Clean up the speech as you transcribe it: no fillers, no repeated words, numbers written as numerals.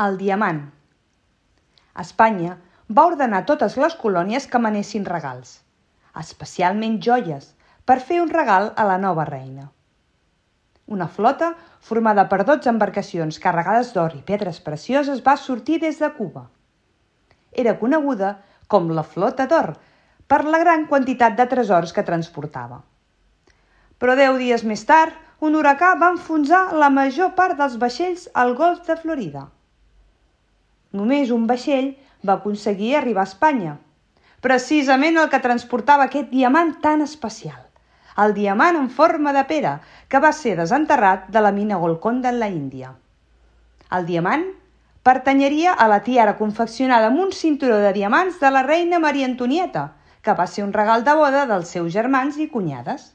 El diamant. Espanya va ordenar a totes les colònies que manessin regals, especialment joies, per fer un regal a la nova reina. Una flota formada per 12 embarcacions carregades d'or i pedres precioses va sortir des de Cuba. Era coneguda com la Flota d'Or per la gran quantitat de tresors que transportava. Però 10 dies més tard, un huracà va enfonsar la major part dels vaixells al golf de Florida. Només un vaixell va aconseguir arribar a Espanya, precisament el que transportava aquest diamant tan especial, el diamant en forma de pera que va ser desenterrat de la mina Golconda en la Índia. El diamant pertanyeria a la tiara confeccionada amb un cinturó de diamants de la reina Maria Antonieta, que va ser un regal de boda dels seus germans i cunyades.